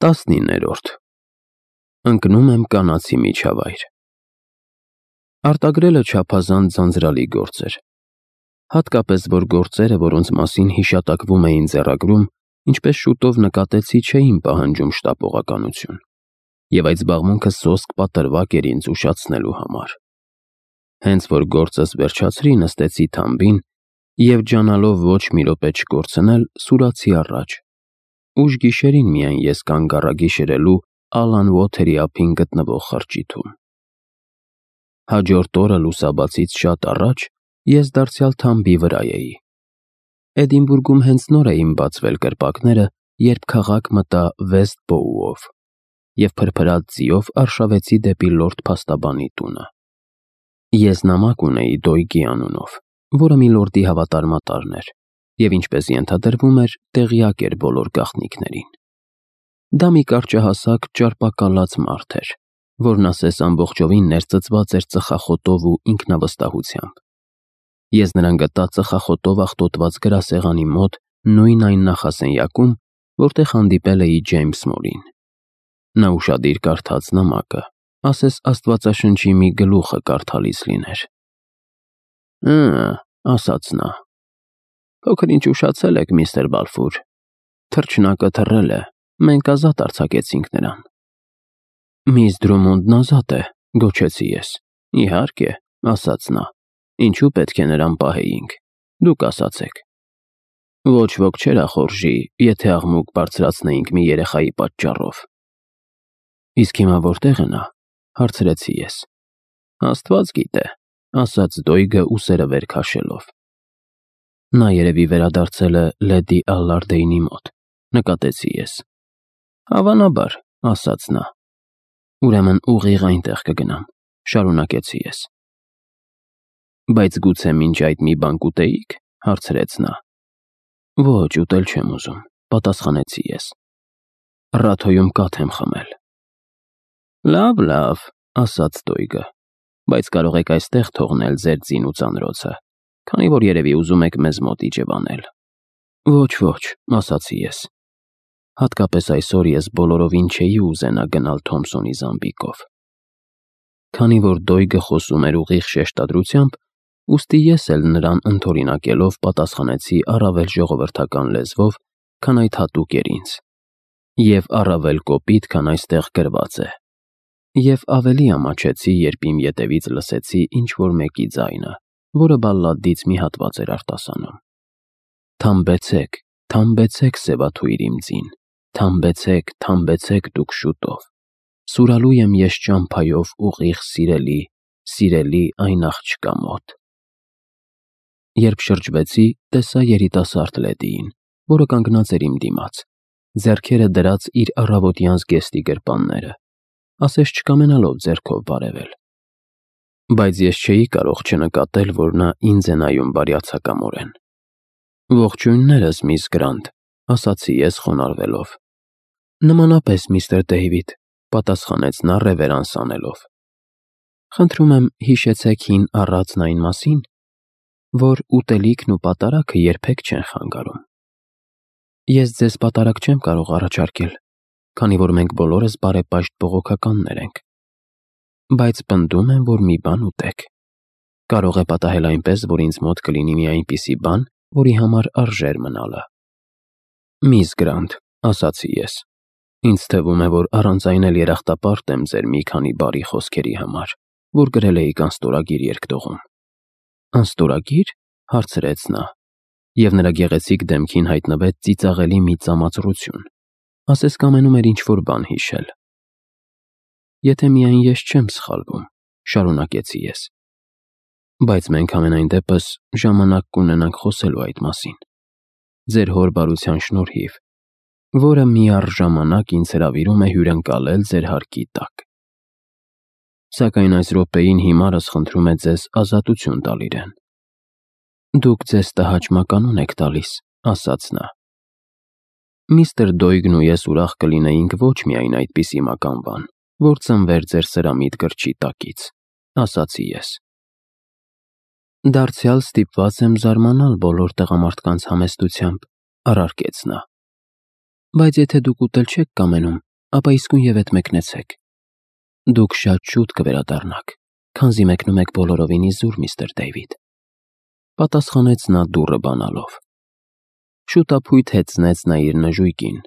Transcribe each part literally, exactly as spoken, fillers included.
տասնիններորդ Ընկնում եմ կանացի միջավայր։ Արտագրելը չափազանց ձանձրալի գործ էր, հատկապես որ գործերը, որոնց մասին հիշատակվում էին ձեռագրում, ինչպես շուտով նկատեցի, չէին պահանջում շտապողականություն, և այդ զբաղմունքը սոսկ պատրվակ էր ինձ ուշացնելու համար։ Հենց որ գործս վերջացրի, նստեցի թամբին և ջանալով ոչ մի րոպե չկորցնել, սուրացի առաջ։ Ուշ գիշերին միայն ես կանգ առա գիշերելու Ալան Ուոթերի ափին գտնվող խրճիթում։ Հաջորդ օրը լուսաբացից շատ առաջ ես դարձյալ թամբի վրա էի։ Էդինբուրգում հենց նոր էին բացվել կրպակները, երբ քաղաք մտա Վեստ Բոուով և փրփրած ձիով արշավեցի դեպի լորդ փաստաբանի տունը։ Ես նամակ ունեի Դոյգի անունով, որը միլորդի հավատարմատարն էր, և ինչպես ենթադրվում էր, տեղյակ էր բոլոր գաղտնիքներին։ Դա մի կարճահասակ, ճարպակալած մարդ էր, որն ասես ամբողջովին ներծծված էր ծխախոտով ու ինքնավստահությամբ։ Ես նրան գտա ծխախոտով աղտոտված գրասեղանի մոտ նույն այն նախասենյակում, որտեղ հանդիպել էի Ջեյմս Մորին։ Նա ուշադիր կարդաց նամակը, ասես Աստվածաշնչի մի գլուխը կարդալիս լիներ։ «Հը», ասաց նա, «փոքր-ինչ ուշացել եք, միստր Բալֆուր։ Թռչնակը թռել է, մենք ազատ արձակեցինք նրան»։ «Միս Դրումոնդն ազատ է», գոչեցի ես։ «Իհարկե», ասաց նա, «ինչու պետք է նրան պահեինք, դուք ասացեք»։ «Ոչ ոք չէր ախորժի, եթե աղմուկ բարձրացնեինք մի երեխայի պատճառով»։ «Իսկ հիմա որտե՞ղ է նա», հարցրեցի ես։ «Աստված գիտե», ասաց Դոյգը ուսերը վեր քաշելով։ «Նա երևի վերադարձել է լեդի Ալլարդեյնի մոտ», նկատեցի ես։ «Հավանաբար», ասաց նա։ «Ուրեմն ուղիղ այնտեղ կգնամ», շարունակեցի ես։ «Բայց գուցե մինչ այդ մի բան կուտեիք», հարցրեց նա։ «Ոչ, ուտել չեմ ուզում», պատասխանեցի ես։ «Ռաթոյում կաթ եմ խմել»։ «Լավ, լավ», ասաց Դոյգը, «բայց կարող եք այստեղ թողնել ձեր ձին ու ծանրոցը, քանի որ երևի ուզում եք մեզ մոտ իջևանել»։ «Ոչ, ոչ», ասացի ես։ Հատկապես այսօր ես բոլորովին չէի ուզենա գնալ Թոմսոնի Զամբիկով։ Քանի որ Դոյգը խոսում էր ուղիղ շեշտադրությամբ, ուստի ես էլ նրան ընդօրինակելով պատասխանեցի առավել ժողովրդական լեզվով, քան այդ հատուկ էր ինձ, և առավել կոպիտ, քան այստեղ գրված է, և ավելի ամաչեցի, երբ իմ ետևից լսեցի ինչ-որ մեկի ձայնը, որը բալլադից մի հատված էր արտասանում. «Թամբեցեք, թամբեցեք, սևաթույր իմ ձին, թամբեցեք, թամբեցեք դուք շուտով, սուրալու եմ ես ճամփայով ուղիղ սիրելի, սիրելի այն աղջկա մոտ»։ Երբ շրջվեցի, տեսա երիտասարդ լեդիին, որը կանգնած էր իմ դիմաց, ձեռքերը դրած իր առավոտյան զգեստի գրպանները, ասես չկամենալով ձեռքով բարևել։ Բայց ես չէի կարող չնկատել, որ նա ինձ է նայում բարյացակամորեն։ «Ողջույններս, միս Գրանտ», ասացի ես խոնարհվելով։ «Նմանապես, միստր Դեյվիդ», պատասխանեց նա ռևերանս անելով։ «Խնդրում եմ, հիշեցեք հին առածն այն մասին, որ ուտելիքն ու պատարագը երբեք չեն խանգարում։ Ես ձեզ պատարագ չեմ կարող առաջարկել, քանի որ մենք բոլորս բարեպաշտ բողոքականներ ենք, բայց պնդում եմ, որ մի բան ուտեք։ Կարող է պատահել այնպես, որ ինձ մոտ կլինի մի այնպիսի բան, որի համար արժեր մնալը»։ «Միս Գրանտ», ասացի ես, «ինձ թվում է, որ առանց այն էլ երախտապարտ եմ ձեր մի քանի բարի խոսքերի համար, որ գրել էիք անստորագիր երկտողում»։ «Անստորագի՞ր», հարցրեց նա, և նրա գեղեցիկ դեմքին հայտնվեց ծիծաղելի մի ծամածռություն, ասես կամենում էր ինչ-որ բան հիշել։ «Եթե միայն ես չեմ սխալվում», շարունակեցի ես, «բայց մենք համենայն դեպս ժամանակ կունենանք խոսելու այդ մասին, ձեր հոր բարության շնորհիվ, որը միառժամանակ ինձ հրավիրում է հյուրընկալել ձեր հարկի տակ։ Սակայն այս րոպեին հիմարս խնդրում է ձեզ ազատություն տալ իրեն»։ «Դուք ձեզ տհաճ մականուն եք տալիս», ասաց նա։ «Միստր Դոյգն ու ես ուրախ կլինեինք ոչ միայն այդպիսի մականվան, որ ծնվեր ձեր սրամիտ գրչի տակից», ասացի ես։ «Դարձյալ ստիպված եմ զարմանալ բոլոր տղամարդկանց համեստությամբ», առարկեց նա։ «Բայց եթե դուք ուտել չեք կամենում, ապա իսկույն ետ մեկնեցեք։ Դուք շատ շուտ կվերադառնաք, քանզի մեկնում եք բոլորովին իզուր, միստր Դեյվիդ, պատասխանեց նա դուռը բանալով։ Շուտափույթ հեծնեց նա իր նժույգին,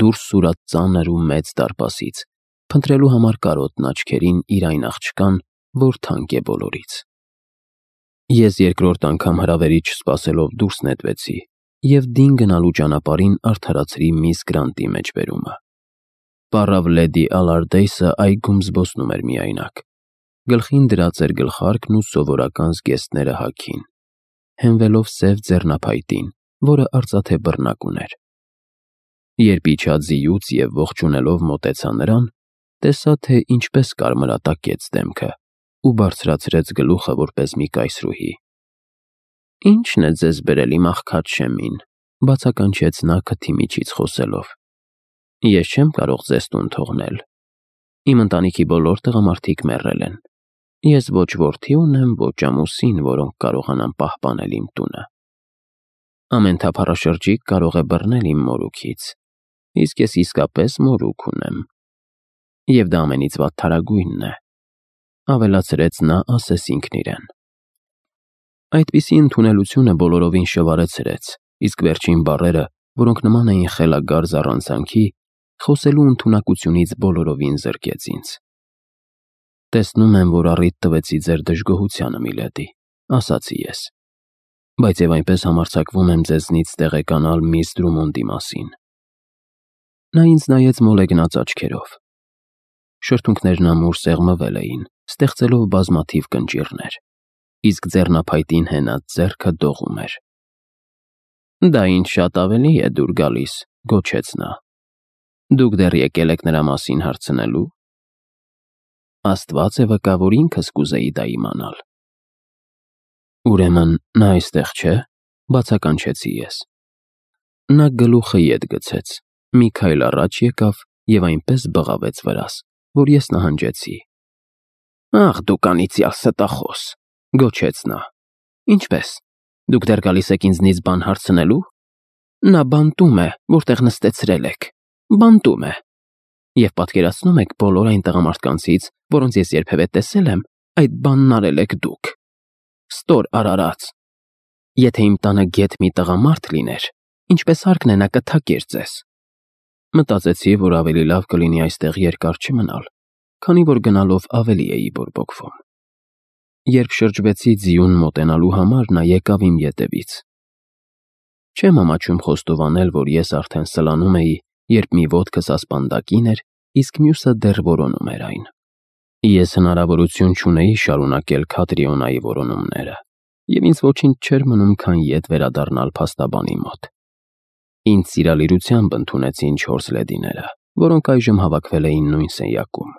դուրս սուրաց ծանր ու մեծ դարպասից, փնտրելու համար կարոտն աչքերին իր այն աղջկան, որ թանկ է բոլորից։ Ես երկրորդ անգամ հրավերից չսպասելով դուրս նետվեցի և դին գնալու ճանապարհին արդարացրի միս Գրանտի մեջբերումը։ Պառավ լեդի Ալարդեյսը այգում զբոսնում էր միայնակ։ Գլխին դրած էր գլխարկն ու սովորական զգեստները հագին, հենվելով սև ձեռնափայտին, որը արծաթե բռնակ ուներ։ Երբ իջա ձիուց և ողջունելով մոտեցա նրան, տեսա, թե ինչպես կարմրատակեց դեմքը ու բարձրացրեց գլուխը որպես մի կայսրուհի։ «Ի՞նչն է ձեզ բերել իմ աղքատ Շեմին», բացականչեց նա քթի միջից խոսելով։ «Ես չեմ կարող ձեզ տուն թողնել։ Իմ ընտանիքի բոլոր տղամարդիկ մեռել են։ Ես ոչ որդի ունեմ, ոչ ամուսին, որոնք կարողանան պահպանել իմ տունը։ Ամեն թափառաշրջիկ կարող է բռնել իմ մորուքից, իսկ ես իսկապես մորուք ունեմ։ Եվ դա ամենից վատթարագույնն է», ավելացրեց նա ասես ինքն իրեն։ Այդպիսի ընդունելությունը բոլորովին շվարեցրեց, իսկ վերջին բառերը, որոնք նման էին խելագար զառանցանքի, խոսելու ընդունակությունից բոլորովին զրկեց ինձ։ «Տեսնում եմ, որ առիթ տվեցի ձեր դժգոհությանը, միլեդի», ասացի ես, «բայց և այնպես համարձակվում եմ ձեզնից տեղեկանալ միս Դրումոնդի մասին»։ Նա ինձ նայեց մոլեգնած աչքերով։ Շրթունքներն ամուր սեղմվել էին, ստեղծելով բազմաթիվ կնճիռներ, իսկ ձեռնափայտին հենած ձեռքը դողում էր։ «Դա ինձ շատ ավելի է դուր գալիս», գոչեց նա։ «Դուք դեռ եկել եք նրա մասին հարցնելու»։ Աստված է վկա, որ ինքս կուզեի դա իմանալ։ «Ուրեմն նա այստեղ չէ», բացականչեցի ես։ Նա գլուխը ետ գցեց, մի քայլ առաջ եկավ և այնպես բղավեց վրաս, որ ես նահանջեցի։ «Ախ, դուք անիծյալ ստախոս», գոչեց նա։ «Ինչպե՞ս, դուք դեռ գալիս եք ինձնից բան հարցնելու։ Նա բանտում է, որտեղ նստեցրել եք, բանտում է։ Եվ պատկերացնո՞ւմ եք բոլոր այն տղամարդկանցից, որոնց ես երբևէ տեսել եմ, այդ բանն արել եք դուք։ Ստոր արարած։ Եթե իմ տանը գեթ մի տղամարդ լիներ, ինչպես հարկն է նա կթակեր ձեզ»։ Մտածեցի, որ ավելի լավ կլինի այստեղ երկար չմնալ, քանի որ գնալով ավելի էի բորբոքվում։ Երբ շրջվեցի ձիուն մոտենալու համար, նա եկավ իմ ետևից։ Չեմ ամաչում խոստովանել, որ ես արդեն սլանում էի, երբ մի ոտքս ասպանդակին էր, իսկ մյուսը դեռ որոնում էր այն։ Ես հնարավորություն չունեի շարունակել Քատրիոնայի որոնումները, և ինձ ոչինչ չէր մնում, քան ետ վերադառնալ փաստաբանի մոտ։ Ինձ սիրալիրությամբ ընդունեցին չորս լեդիները, որոնք այժմ հավաքվել էին նույն սենյակում։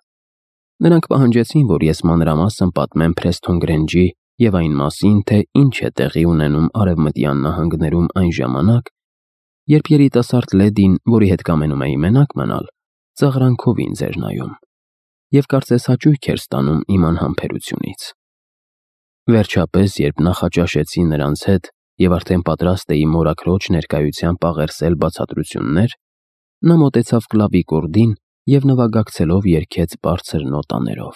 Նրանք պահանջեցին, որ ես մանրամասն պատմեմ Փրեսթոն Գրենջի և այն մասին, թե ինչ է տեղի ունենում Արևմտյան նահանգներում այն ժամանակ, երբ երիտասարդ լեդին, որի հետ կամենում էի մենակ մնալ, ծաղրանքով ինձ էր նայում, և կարծես հաճույք էր ստանում իմ անհամբերությունից։ Վերջապես, երբ նախաճաշեցի նրանց հետ և արդեն պատրաստ էի մորաքրոջ ներկայությամբ աղերսել բացատրություններ, նա մոտեցավ կլավի կորդին և նվագակցելով երգեց բարձր նոտաներով.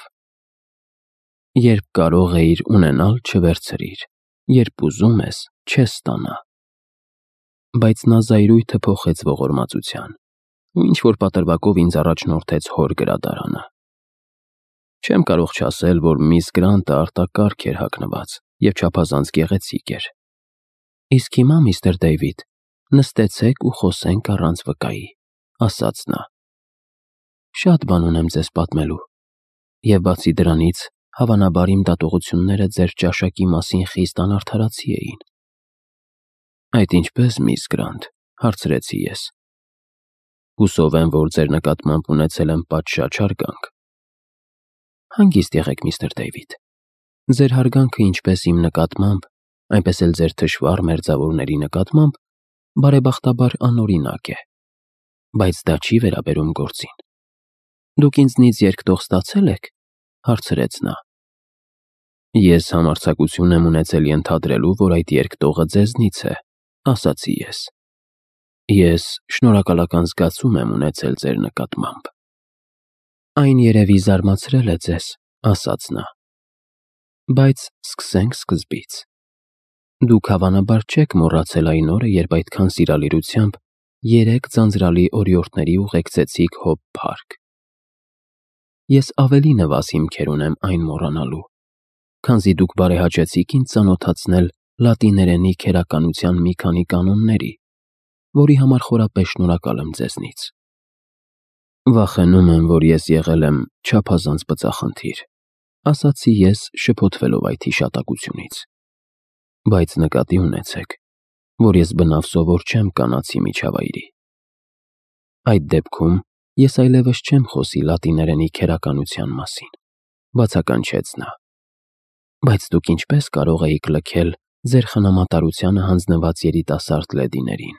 «Երբ կարող էիր ունենալ, չվերցրիր, երբ ուզում ես, չես ստանա»։ Բայց նա զայրույթը փոխեց ողորմածության ու ինչ-որ պատրվակով ինձ առաջնորդեց հոր գրադարանը։ Չեմ կարող չասել, որ միս Գրանտը արտակարգ էր հագնված և չափազանց գեղեցիկ էր։ «Իսկ հիմա, միստր Դեյվիդ, նստեցեք ու խոսենք առանց վկայի», ասաց նա։ «Շատ բան ունեմ ձեզ պատմելու, և բացի դրանից, հավանաբար իմ դատողությունները ձեր ճաշակի մասին խիստ անարդարացի էին»։ «Այդ ինչպես, միս Գրանտ», հարցրեցի ես։ «Հուսով եմ, որ ձեր նկատմամբ ունեցել եմ պատշաճ հարգանք»։ «Հանգիստ եղեք, միստր Դեյվիդ։ Ձեր հարգանքը ինչպես իմ նկատմամբ, այնպես էլ ձեր թշվառ մերձավորների նկատմամբ բարեբախտաբար անօրինակ է, բայց դա չի վերաբերում գործին։ Դուք ինձնից երկտող ստացե՞լ եք», հարցրեց նա։ «Ես համարձակություն եմ ունեցել ենթադրելու, որ այդ երկտողը ձեզնից է», ասացի ես։ «Ես շնորհակալական զգացում եմ ունեցել ձեր նկատմամբ»։ Այն երևի զարմացրել է ձեզ, ասաց նա։ Բայց սկսենք սկզբից։ Դուք հավանաբար չեք մոռացել այն օրը, երբ այդքան սիրալիրությամբ երեք ձանձրալի օրիորդների ուղեկցեցիք Հոբ Փարք։ Ես ավելի նվազ հիմքեր ունեմ այն մոռանալու, քանզի դուք բարեհաճեցիք ինձ ծանոթացնել լատիներենի քերականության մի քանի կանոնների, որի համար խորապես շնորհակալ եմ ձեզնից։ Վախենում եմ, որ ես եղել եմ չափազանց բծախնդիր, ասացի ես, շփոթվելով այդ հիշատակությունից։ Բայց նկատի ունեցեք, որ ես բնավ սովոր չեմ կանացի միջավայրի։ Այդ դեպքում ես այլևս չեմ խոսի լատիներենի քերականության մասին, բացականչեց նա։ Բայց դուք ինչպես կարող էիք լքել ձեր խնամատարությանը հանձնված երիտասարդ լեդիներին։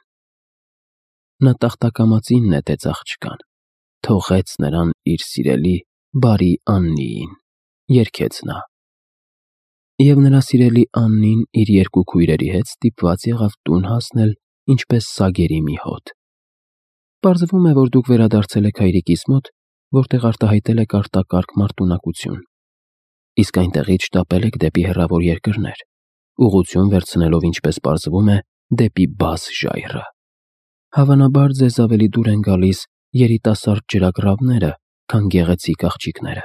Նա տախտակամածին նետեց աղջկան, թողեց նրան իր սիրելի բարի Աննիին, երգեց նա։ Եվ նրա սիրելի Աննին իր երկու քույրերի հետ ստիպված եղավ տուն հասնել ինչպես սագերի մի հոտ։ Պարզվում է, որ դուք վերադարձել եք հայրիկիս մոտ, որտեղ արտահայտել եք արտակարգ մարտունակություն, իսկ այնտեղից շտապել եք դեպի հեռավոր երկրներ, ուղղություն վերցնելով, ինչպես պարզվում է, դեպի Բաս ժայռը։ Հավանաբար ձեզ ավելի դուր են գալիս երիտասարդ ջրագրավները, քան գեղեցիկ աղջիկները։